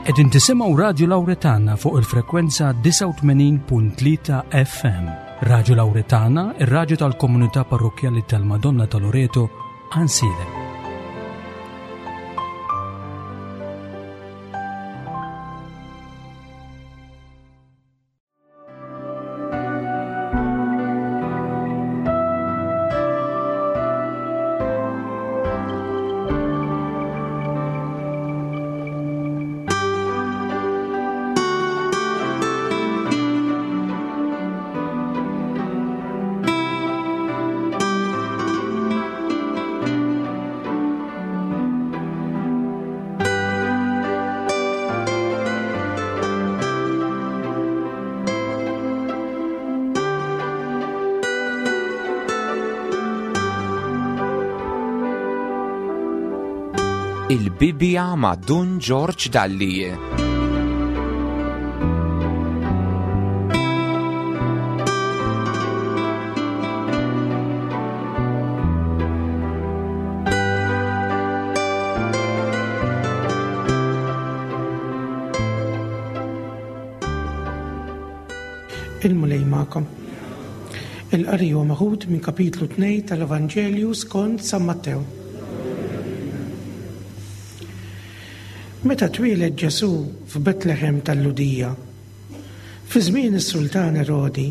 Qegħdin tisimgħu Radju Lawretana fuq il-frekwenza 89.3 FM. Radju Lawretana, ir-radju tal-komunità parrokkjali tal-Madonna ta' Loreto, Ansilem. Il-Bibja ma' Dun Ġorġ Dalli. Il-Mulej magħkom. Il-qari huwa meħud minn kapitlu 2 tal-Evanġelju skont San Mattew. Meta twieled Ġesù f'Betlehem tal-Lhudija, fi żmien is-sultan Erodi,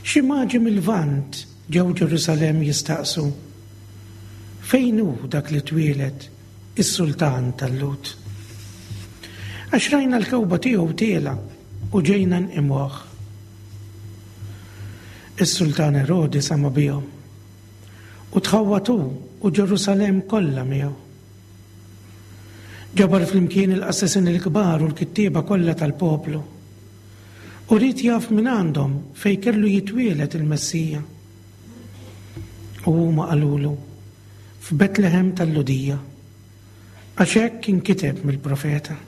xi maġi mil-Lvant ġew Ġerusalemm jistaqsu, Fejn hu dak li twieled is-sultan tal-Lhud? Għax rajna l-kewba tiegħu tielgħa u ġejna nqimuh. Is-sultan Erodi sama' bihom, u tħawwad hu u Ġerusalemm kollha miegħu. Ġabar flimkien il-qassisin il-kbar u l-kittieba kollha tal-poplu, u ried jaf mingħandhom fejn kellu jitwieled il-Messija. U huma qalulu, F'Betlehem tal-Lhudija, għax hekk inkiteb mill-profeta,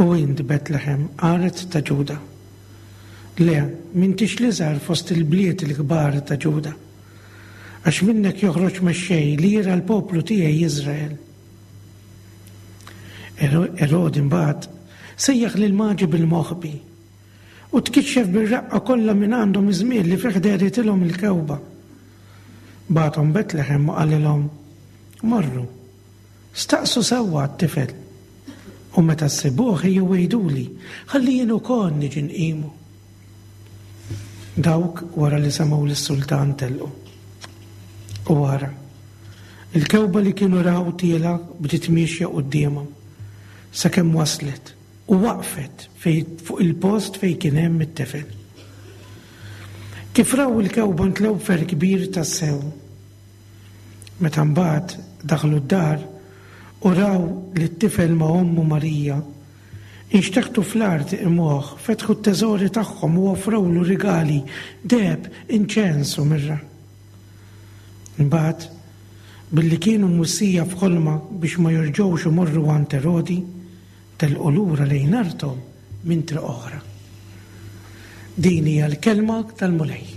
U int, Betlehem, art ta' Ġuda, le, m'intix l-iżgħar fost il-bliet il-kbar ta' Ġuda, għax minnek joħroġ mexxej li jirgħa l-poplu tiegħi Iżrael. Erodi mbagħad sejjaħ lill-maġi bil-moħbi U tkixxef bir-reqqa kollha minn għandhom iż-żmien li fih dehritilhom il-kewba. Bagħathom Betlehem u qalilhom, Morru, staqsu sewwa għat-tifel, u meta ssibuh ejjew għiduli, ħalli jien ukoll niġi nqimu. Dawk wara li semgħu lis-sultan telqu. U ara, il-kewba li kienu raw tielgħa bdiet miexja quddiemhom, sakemm waslet u waqfet fejn fuq il-post fejn kien hemm it-tifel. Kif raw il-kewba ntlew b'ferħ kbir tassew. Meta mbagħad daħlu d-dar u raw lit-tifel ma' ommu Marija, inxteħtu fl-art iqimuh, fetħu t-teżori tagħhom u offrewlu rigali, deheb, inċens u mirra. Imbagħad, billi kienu mwissija f'ħolma biex ma jerġgħux imorru għand Erodi, Telqu lura lejn arthom minn triq oħra. Din hija l-kelma tal-Mulej.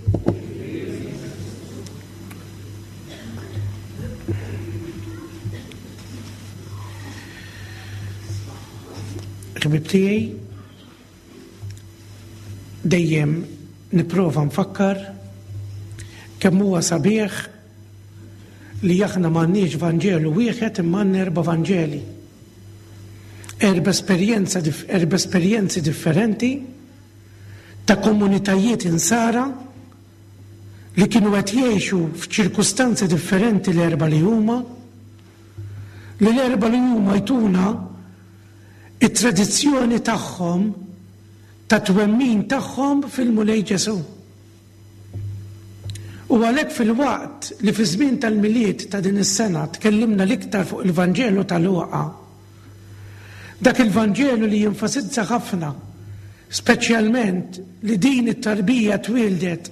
Ħbib tiegħi, dejjem nipprova nfakkar kemm huwa sabiħ li aħna m'għandniex Vanġelu wieħed imma għandna erba' Vanġeli. Erba' esperjenza erba' esperjenzi differenti ta' komunitajiet insara li kienu qed jgħixu f'ċirkustanzi differenti l-erba' li huma, li l-erba' li huma jtuna it-tradizzjoni tagħhom ta' twemmin tagħhom fil-Mulej Ġesù. U għalhekk filwaqt li fiż-żmien tal-Milied ta' din is-sena tkellimna l-iktar fuq il-Vanġelu ta' Luqa, dak il-Vanġelu li jenfasizza ħafna speċjalment li din it-tarbija twieldet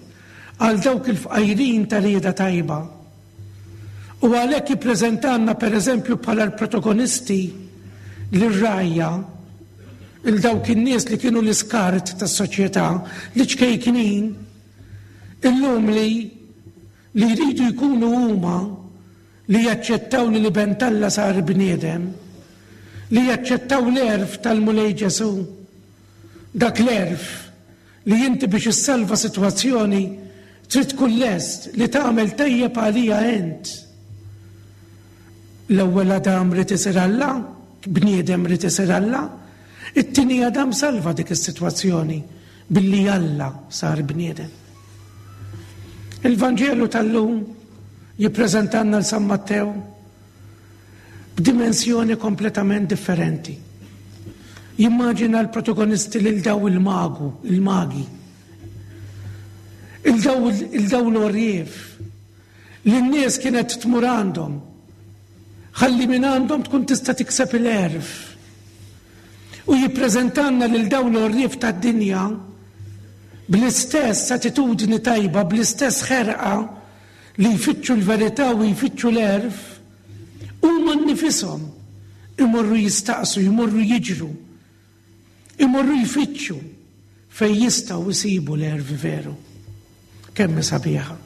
għal dawk il-fqajrin ta' rieda tajba. U għalhekk jippreżentalna pereżempju bħala l-protagonisti lir-rgħajja, 'il dawk in-nies li kienu l-iskart tas-soċjetà, l-iċkejknin, illum li li jridu jkunu huma li jaċċettaw li l-Iben t'Alla sar bniedem. li jaċċettaw l-għerf tal-Mulej Ġesù. Dak l-għerf li inti biex issalva sitwazzjoni trid tkun lest li tagħmel tajjeb għaliha int. L-ewwel Adam ried isir Alla, bniedem ried isir Alla, it-tieni Adam salva dik is-sitwazzjoni billi Alla sar bniedem. Il-Vanġelu tal-lum jippreżentanna l San Mattew b'dimensjoni kompletament differenti. Jimmaġina l-protagonisti lil daw il-magu, il-magi, il-daw l-orjef, li n-nies kienet tmur għandhom, ħalli minn għandhom tkun tista' tikseb il-għerf. U jippreżentanna lil dawn l-għorrief tad-dinja bl-istess attitudni tajba, bl-istess ħerqa li jfittxu l-verità u jfittxu l-għerf, huma nnifishom imorru jistaqsu, jmorru jiġru, imorru jfittxu fejn jistgħu jsibu l-għerf veru. Kemm hi sabiħa!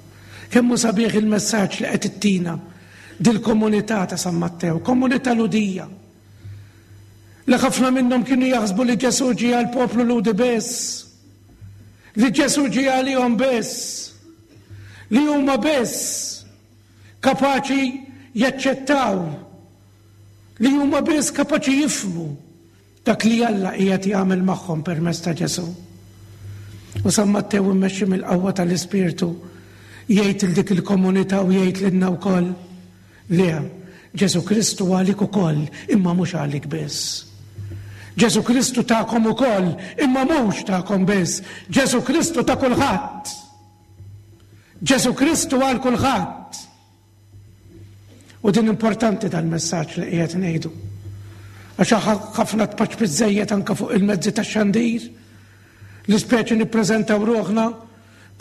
Kemm hu sabiħ il-messaġġ li qed ittina dil-komunità ta' San Mattew, komunità Lhudija. Li ħafna minnhom kienu jaħsbu li Ġesù ġie għall-poplu Lhudi biss. Li Ġesù ġie għalihom biss. Li huma biss kapaċi jaċċettaw li huma biss kapaċi jifhmu Dak li Alla qiegħed jagħmel magħhom permezz ta' Ġesù. U San Mattew immexxi mill-qawwa tal-Ispirtu jgħid il dik il-komunità u jgħid lilna wkoll, Le, Ġesù Kristu għalik ukoll, imma mhux għalik biss. Ġesù Kristu tagħkom ukoll, imma mhux tagħkom biss. Ġesù Kristu ta' kulħadd. Ġesù Kristu għal kulħadd. U din importanti dal-messaġġ li qiegħed ngħidu. Għax ħafna tpaċpit żejjed anke fuq il-mezzi tax-xandir li speċi nippreżentaw ruħna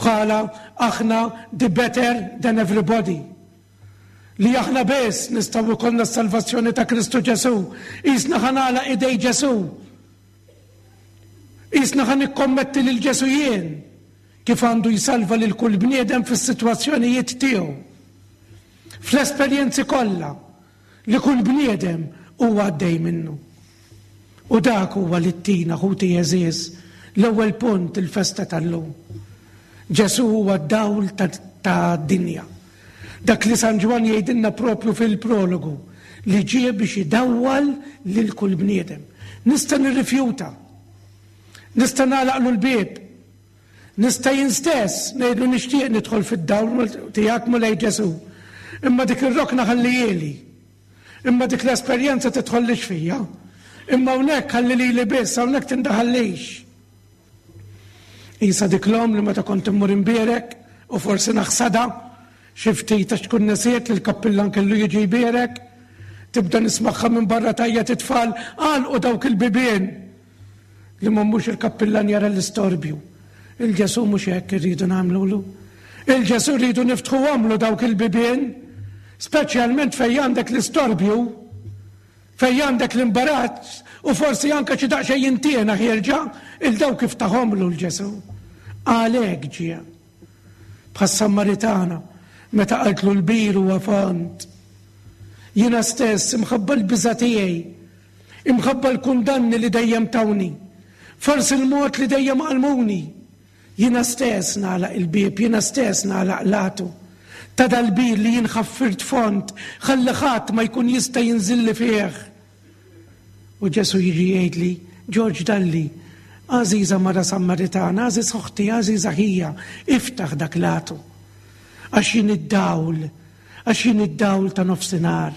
bħala aħna the better than everybody. Li aħna biss nistgħu jkollna s-salvazzjoni ta' Kristu Ġesù. Qisna ħa nagħlaq idej Ġesù. Qisna ħa nikkommetti lil Ġesù jien. Kif għandu jsalva lil kull bniedem fis-sitwazzjonijiet tiegħu, fl-esperjenzi kollha li kull bniedem huwa għaddej minnu. U dak huwa li ttina, ħuti għeżież, l-ewwel punt il-festa tal-lum. Ġesù huwa d-dawl tad-dinja. Dak li San Ġwann jgħidilna propju fil-prologu li ġie biex idawwal lil kull bniedem. Nista' nirrifjuta. Nista' nagħlaqlu l-bieb. Nista' jien stess ngħidlu nixtieq nidħol fid-dawl tiegħek Mulej Ġesù. Imma dik ir-rokna ħallihieli. Imma dik l-esperjenza tidħollix fija. Imma hawnhekk ħalli lili biss, hawnhekk tindaħallix. Isa dik l-omm li meta kont immur imbierek u forsi naħsadha xi ftit għax tkun nesiet li l-kappillan kellu jiġi jbierek, tibda nismagħha minn barra tgħajjat it-tfal għalqu dawk il-bibien. Li ma mhux il-kappillan jara l-istorbju. Il-Ġesù mhux hekk irridu nagħmlulu. Il-Ġesù rridu niftħuhomlu dawk il-bibien, speċjalment fejn għandek l-istorbju, fejn għandek l-imbarazz u forsi anke xi daqsxejn intiena ħierġa, il dawk iftaħomlu l-Ġesù. Għalhekk ġie. Bħas-Sammaritana meta qaltlu l-bir huwa fond. Jiena stess imħabba l-biża' tiegħi Imħabba l-kundanni li dejjem tawni, forsi l-mod li dejjem għallmuni, jiena stess nagħlaq il-bieb, jiena stess nagħlaq l-għatu ta' dal-bir li jien ħaffirt fond ħalli ħadd ma jkun jista' jinżilli fih. U Ġesù jiġi jgħidli, Ġorġ Dalli, għażiża mara Sammaritana, għażiż oħti, għażiża ħija, iftaħ dak l-għatu. Għax jien id-dawl, għax jien id-dawl ta' nofsinhar.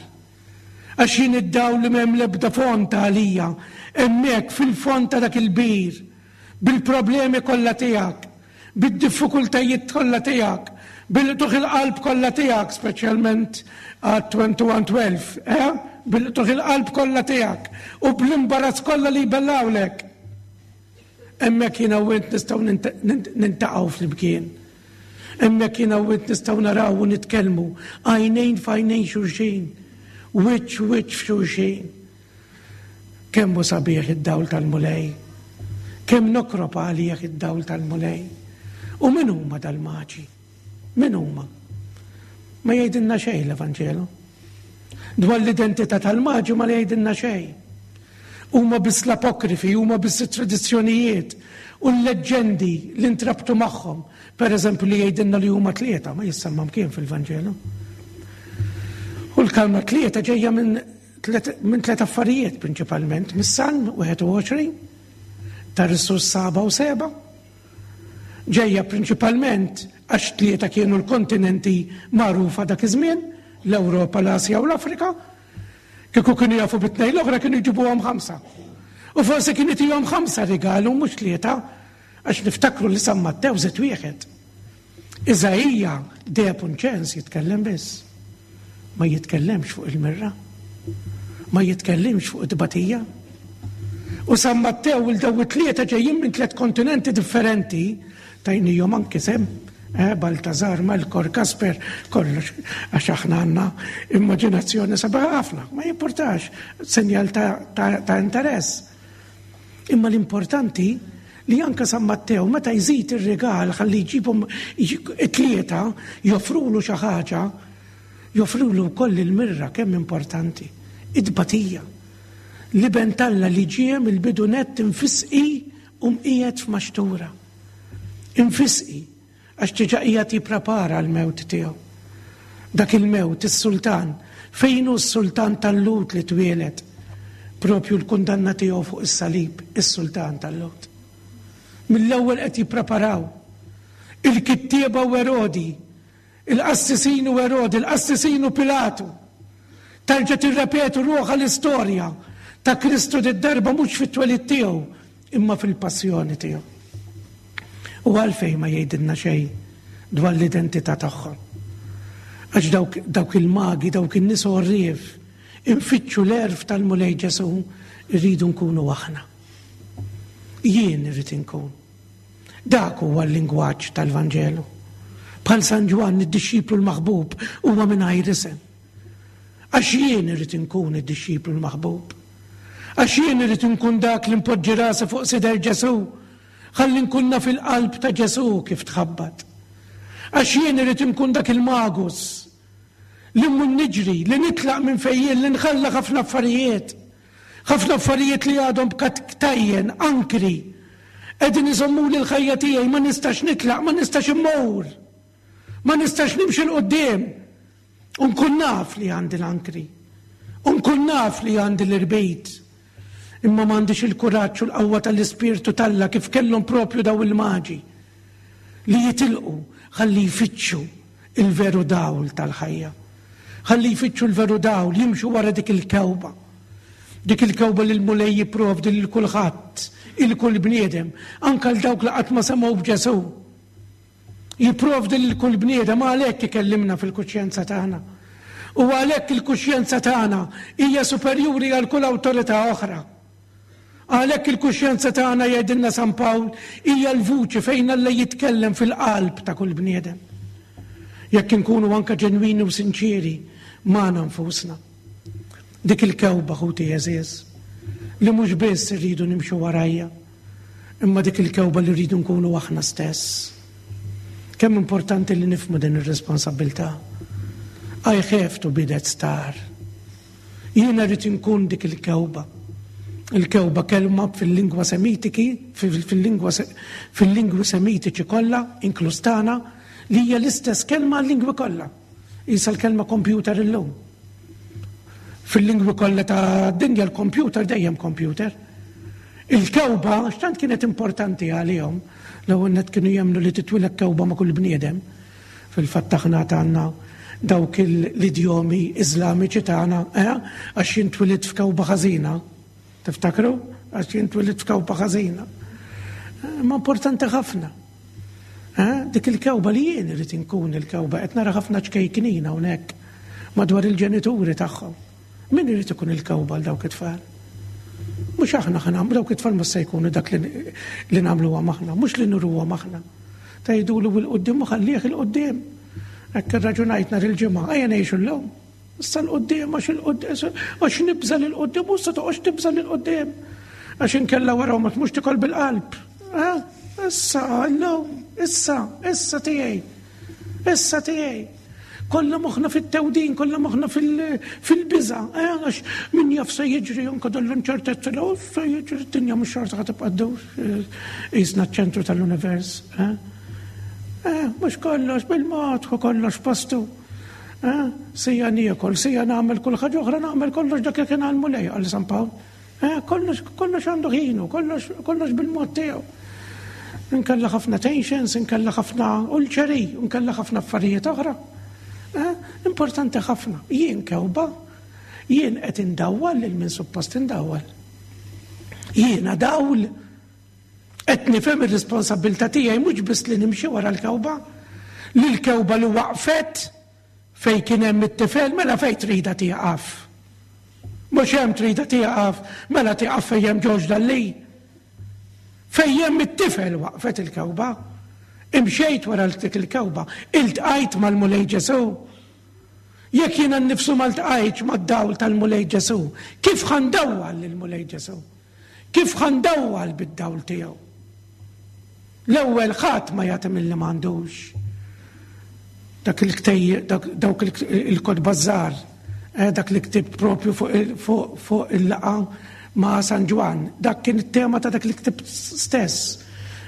Għax jien id-dawl li m'hemm l-ebda fond għalija, hemmhekk fil-fond ta' dak il-bir, bil-problemi kollha tiegħek, bid-diffikultajiet kollha tiegħek, bil-qtugħ il-qalb kollha tiegħek, speċjalment għat-2112, eh? Bil-qtugħ il-qalb kollha tiegħek u bl-imbarazz kollha li jbellgħulek. Hemmhekk jiena u int nistgħu nintaqgħu flimkien. Hemmhekk jiena u int nistgħu naraw u nitkellmu għajnejn f'għajnejn xulxin, wiċċ wiċċ f'xulxin. Kemm hu sabiħ id-dawl tal-Mulej. Kemm nokrob għalih id-dawl tal-Mulej. U min huma dal-maġi? Min huma? Ma jgħidilna xejn l-Evanġelu. Dwar l-identità tal-maġi ma jgħidilna xejn. Huma biss l-apokrifi, huma biss it-tradizzjonijiet u l-leġġendi li ntrabtu magħhom. Per eżempju li jgħidilna li huma tlieta, ma jissemma mkien fil-Vanġelu. U l-kalma tlieta ġejja minn minn tliet affarijiet prinċipalment, mis-Salm 21, tar-Risus saba u seba, ġejja prinċipalment għax tlieta kienu l-kontinenti magħrufa dak iż-żmien, l-Ewropa, l-Asja u l-Afrika. Kieku kienu jafu bit-tnejn l-oħra kienu jġibuhom ħamsa. U forsi kien itihom ħamsa rigalu mhux tlieta, għax niftakru li San Mattew żied wieħed. Iżaija deheb u nċens jitkellem biss. Ma jitkellemx fuq il-mirra. Ma jitkellimx fuq it-tbatija. U San Mattew il daw it-tlieta ġejjin minn tliet kontinenti differenti, tajnijhom anki sem, eh, Baltazar, Melkor, Kasper, kollox, għax aħna għandna immaġinazzjoni sabiħa ħafna, ma jimportax, senjal ta', ta, ta interess. Imma l-importanti li anke San Mattew meta jżid ir-rigal ħalli jġibhom it-tlieta joffrulu xi ħaġa, joffrulu wkoll il-mirra kemm importanti, it-tbatija. L-Iben t'Alla li ġie mill-bidu nett imfisqi u mqiegħed f'maxtura. Imfisqi Għax diġà qiegħed jipprepara għall-mewt tiegħu. Dak il-mewt, is-sultan, fejn hu s-sultan tal-Lhud li twieled? Propju l-kundanna tiegħu fuq is-salib, is-sultan tal-Lhud. Mill-ewwel qed jippreparaw. Il-kittieba u Erodi, il-qassisin u Erodi, il-qassisin u Pilatu. Terġa' tirrepetu ruħha l-istorja ta' Kristu did-darba mhux fit-twelid tiegħu, imma fil-passjoni tiegħu. U għalfejn ma jgħidilna xejn dwar l-identità tagħhom? Għax dawk, dawk il-magi, dawk in-nies għorrief, infittxu l-għerf tal-Mulej Ġesù, irridu nkunu aħna. Jien irrid inkun. Dak huwa l-lingwaġġ tal-Vanġelu. Bħal San Ġwann id-dixxiplu l-maħbub huwa mingħajr isem. Għax jien irrid inkun id-dixxiplu l-maħbub. Għax jien irrid inkun dak li npoġġi rasi fuq sider Ġesù, ħalli nkun naf il-qalb ta' Ġesù kif tħabbat. Għax jien irrid inkun dak il-magus li mmur niġri, li nitlaq minn fejn jien, li nħalla ħafna affarijiet. Ħafna affarijiet li għadhom b'ktajjen, ankri. Qegħdin iżommuli l-ħajja tiegħi, ma nistax nitlaq, ma nistax immur. Ma nistax nimxi 'l quddiem. U nkun naf li għandi l-ankri. U nkun naf li għandi l-irbit. Imma m'għandix il-kuraġġ u l-qawwa tal-Ispirtu t'Alla kif kellhom propju daw il-maġi li jitilqu ħalli jfittxu il-veru dawl tal-ħajja. Ħalli jfittxu l-veru dawl, jimxu wara dik il-kewba. Dik il-kewba li l-Mulej jipprovdi lil kulħadd, il kull bniedem, anke għal dawk li qatt ma semgħu b'Ġesù. Jipprovdi lil kull bniedem għalhekk ikellimna fil-kuxjenza tagħna. U għalhekk il-kuxjenza tagħna hija superjuri għal kull awtorità oħra. Għalhekk il-kuxjenza tagħna jgħidilna San Pawl hija l-vuċi fejn Alla jitkellem fil-qalb ta' kull bniedem. Jekk inkunu anke ġenwini u sinċieri magħna nfusna. Dik il-kewba ħuti għeżież li mhux biss irridu nimxu warajja, imma dik il-kewba li rridu nkunu aħna stess. Kemm importanti li nifhmu din ir-responsabbiltà. I have to be that star. Jiena rrid inkun dik il-kewba. Il-kewba kelma fil-lingwa semitiki, fil-lingwa fil-lingwi semitiċi kollha, inkluż tagħna, li hija l-istess kelma għal-lingwi kollha. Isa l-kelma computer illum. Fil-lingwi kollha ta' dinja l-computer dejjem computer. Il-kewba x'tant kienet importanti għalihom l-ewwel net kienu jemmnu li titwilek kewba ma' kull bniedem. Fil-fatt aħna għandna dawk l-idjomi Iżlamiċi tagħna, eh, għax jien twilidt f'kewba ħażina. Tiftakru? Għax jien twilidt f'kewba ħażina. Eh, ma importanti ħafna. Eh, dik il-kewba li jien irid inkun il-kewba qed nara ħafna ċkejknin hawnhekk madwar il-ġenituri tagħhom. Min irid ikun il-kewba għal dawk it-tfal? Mhux aħna ħa dawk it-tfal mhux se jkunu dak li nagħmluhom aħna, mhux li nuruhom aħna. Tgħidulu bil-quddiem u ħallih il-quddiem. Hekk irraġunajt nhar il-ġimgħa, ejja ngħixu llum. Issa l-qoddim, għax il-qoddim, għax nibża l-qoddim, u issa toqgħodx tibża l-qoddim. Għax inkella wara ma tmux tikol bil-qalb. Eh? Issa, illum, issa, issa tiegħi. Issa tiegħi. Kollha moħħna fit-tewdin, kollha moħħna fil-biża', eh, għax min jaf se jiġri anke dan l-inċertezza li oh, se jiġri d-dinja mhux xorta ħa tibqa' ddur eh, qisna ċ-ċentru tal-univers. Eh? Eh, mhux kollox bil-mod, kollox postu. Eh, sija niekol, sija nagħmel kull ħaġa oħra nagħmel kollox dak li kien għal-mulej għal San Pawl. Eh, kollox, kollox għandu ħinu, kollox, kollox bil-mod tiegħu. Inkella ħafna tensions, inkella ħafna ulċeri, inkella ħafna affarijiet oħra. Eh, importanti ħafna. Jien kewba, jien qed indawwal lil min suppost indawwal. Jiena dawl qed nifhem ir-responsabbiltà tiegħi mhux biss li nimxi wara l-kewba, li l-kewba li waqfet Fejn kien hemm it-tifel, mela fejn tridha tieqaf? Mhux hemm tridha tieqaf, mela tieqaf fejn hemm Ġorġ Dalli. Fejn hemm it-tifel waqfet il-kewba. Imxejt wara dik il-kewba, iltqajt mal-Mulej Ġesù. Jekk jiena nnifsu ma ltqajtx mad-dawl tal-Mulej Ġesù, kif ħa ndawwal lill-Mulej Ġesù? Kif ħa ndawwal bid-dawl tiegħu? L-ewwel ħadd ma jagħti milli m'għandux. Dak il-ktejjeb, dawk il-kotba żgħar, eh, dak li ktibt propju fuq il-laqa ma' San Ġwann, dak kien it-tema ta' dak li ktibt stess.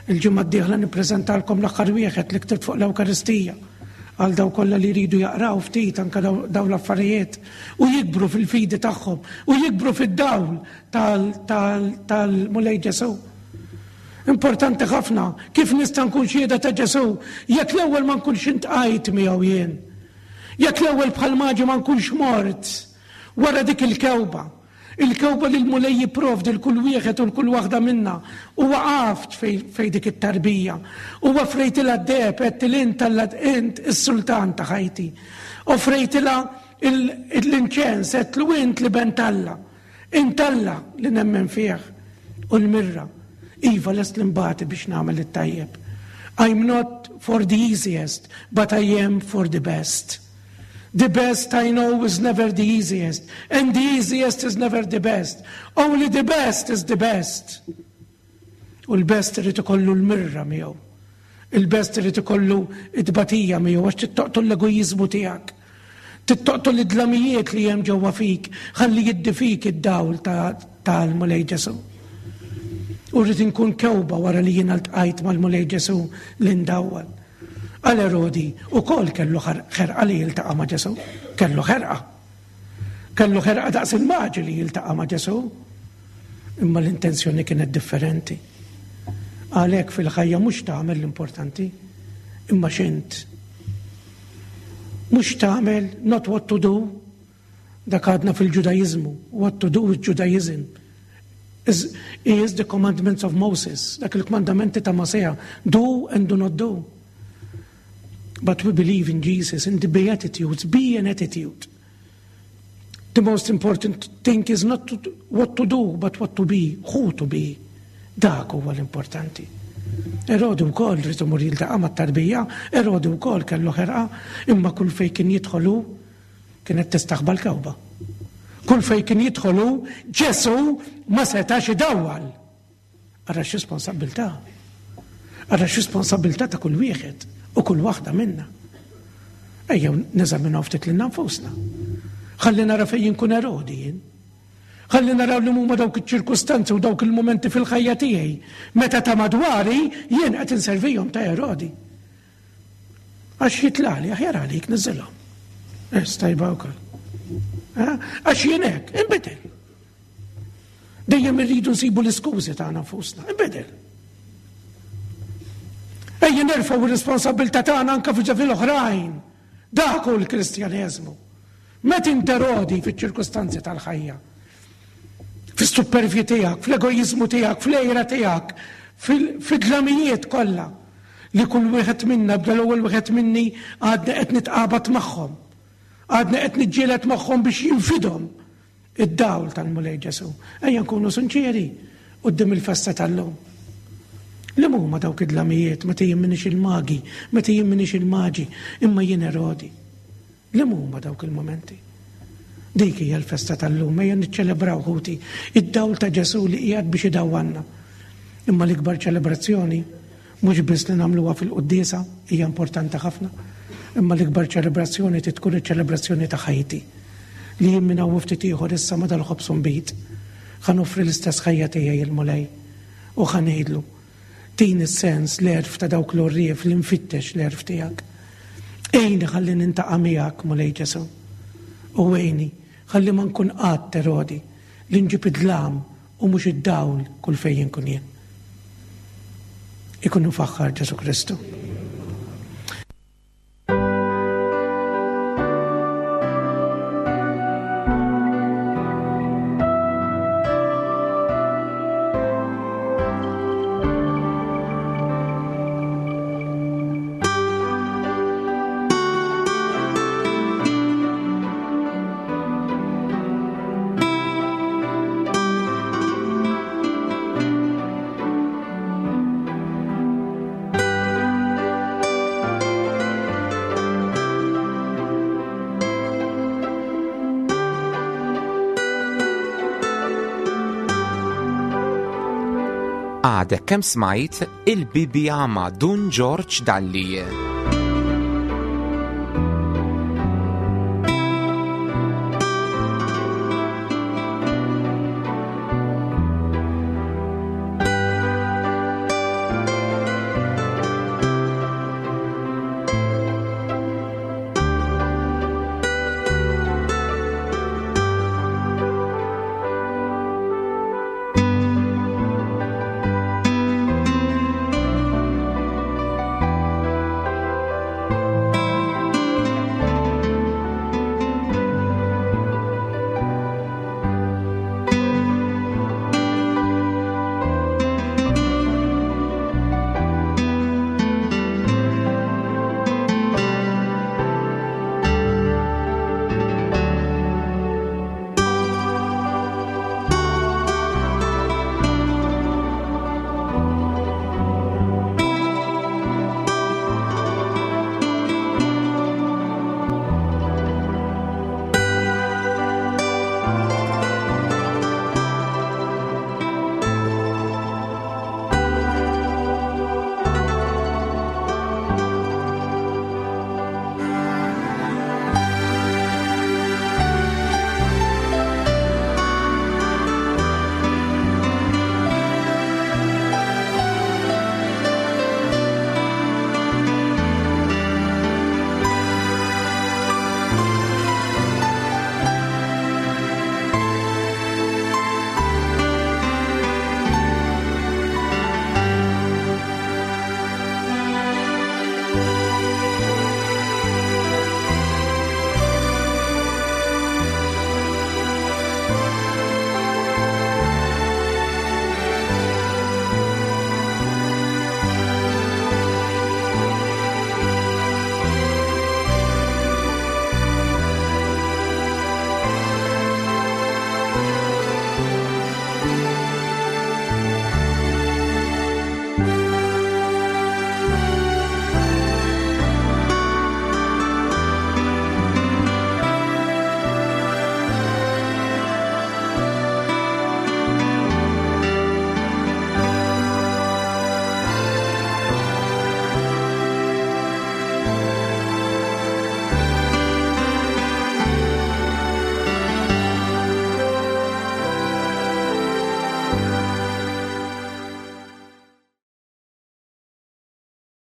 Il-ġimgħa d-dieħla nippreżentalkom l-aħħar wieħed li ktibt fuq l-Ewkaristija għal daw kollha li jridu jaqraw ftit anke daw l-affarijiet u jikbru fil-fidi tagħhom u jikbru fid-dawl tal-Mulej Ġesù. Importanti ħafna kif nista' nkun xhieda ta' Ġesù jekk l-ewwel ma nkunx intqajt miegħu jien. Jekk l-ewwel bħal maġi ma nkunx mort wara dik il-kewba. Il-kewba li l-Mulej jipprovdi l kull wieħed u l kull waħda minna u waqaft fej dik it-tarbija. U offrejtilha d-deheb għedt int Alla int is-sultan ta' ħajti. Offrejtilha l-inċens għedtlu int l-iben t'Alla. Int Alla li nemmen fih u l-mirra. Iva lest li nbati biex nagħmel it-tajjeb. I'm not for the easiest, but I am for the best. The best I know is never the easiest, and the easiest is never the best. Only the best is the best. U l-best irid ikollu l-mirra miegħu. Il-best irid ikollu it-tbatija miegħu għax tittoqtol l-egoiżmu tiegħek. Tittoqtol id-dlamijiet li hemm ġewwa fik, ħalli jiddi fik id-dawl tal-Mulej Ġesù. U rrid inkun kewba wara li jiena ltqajt mal-Mulej Ġesù li ndawwal. Għal Erodi ukoll kellu ħerqa li jiltaqa' ma' Ġesù, kellu ħerqa. Kellu ħerqa daqs il-maġi li jiltaqa' ma' Ġesù. Imma l-intenzjoni kienet differenti. Għalhekk fil-ħajja mhux tagħmel l-importanti, imma x'int. Mhux tagħmel not what to do, dak għadna fil-Ġudajiżmu, what to do is Judaism. Is, is the commandments of Moses, dak il-kmandamenti ta' Mosea, do and do not do. But we believe in Jesus, in the Beatitudes, be an attitude. The most important thing is not to, what to do, but what to be, who to be. Dak huwa l-importanti. Erodi wkoll rid imur jiltaqa' mat-tarbija, Erodi wkoll kellu ħerqa, imma kull fejn kien jidħol hu kienet tistaħba l-kewba. Kull fejn kien jidħol hu, Ġesù ma setax idawwal. Ara x'responsabbiltà. Ara x'responsabbiltà ta' kull wieħed u kull waħda minna. Ejjew neżaminaw ftit lilna nfusna. Ħalli nara fejn inkun Erodi jien. Ħalli naraw li huma dawk iċ-ċirkustanzi u dawk il-mumenti fil-ħajja tiegħi meta ta' madwari jien qed inservihom ta' Erodi. Għax jitlali, aħjar għalik niżilhom. Eh, stajba wkoll. Eh, għax jien hekk, inbidel. Dejjem irridu nsibu l-iskużi tagħna nfusna. Inbidel. Ejja nerfgħu r-responsabilità tagħna anke fil-oħrajn. Dak hu l-Kristjaneżmu. Meta interodi fiċ-ċirkustanzi tal-ħajja. Fis-supervji tiegħek, fl-egoiżmu tiegħek, fl-għira tiegħek, fid-dlamijiet kollha li kull wieħed minna bda l-ewwel wieħed minni għadna qed nitqabad magħhom. Għadna qed niġġieled magħhom biex jinfidhom Id-dawl tal-Mulej Ġesù. Ejja nkunu sinċieri quddiem il-festa tal-lum. Liema huma dawk id-dlamijiet meta jien m'iniex il-magi, meta jien m'iniex il-maġi, imma jien Erodi? Liema huma dawk il-mumenti? Dik hija l-festa tal-lum, ejja niċċelebraw ħuti id-dawl ta' Ġesù li qiegħed biex idawwanna. Imma l-ikbar ċelebrazzjoni mhux biss li nagħmluha fil-quddiesa, hija importanti ħafna. Imma l-ikbar ċelebrazzjoni trid tkun iċ-ċelebrazzjoni ta' ħajti. Li jien minn hawn u ftit ieħor issa ma' dal-ħobż u nbid, ħa noffri l-istess ħajja tiegħi il-Mulej u ħa ngħidlu, Tini s-sens, l-għerf ta' dawk l-għorrief li nfittex l-għerf tiegħek. Għinni ħalli nintaqa' miegħek, Mulej Ġesù. U għinni ħalli ma nkun qatt Erodi li nġib id-dlam u mhux id-dawl kull fejn inkun jien. Ikun imfaħħar Ġesù Kristu. Għadek kemm smajt il-Bibbja ma' Dun Ġorġ Dalli.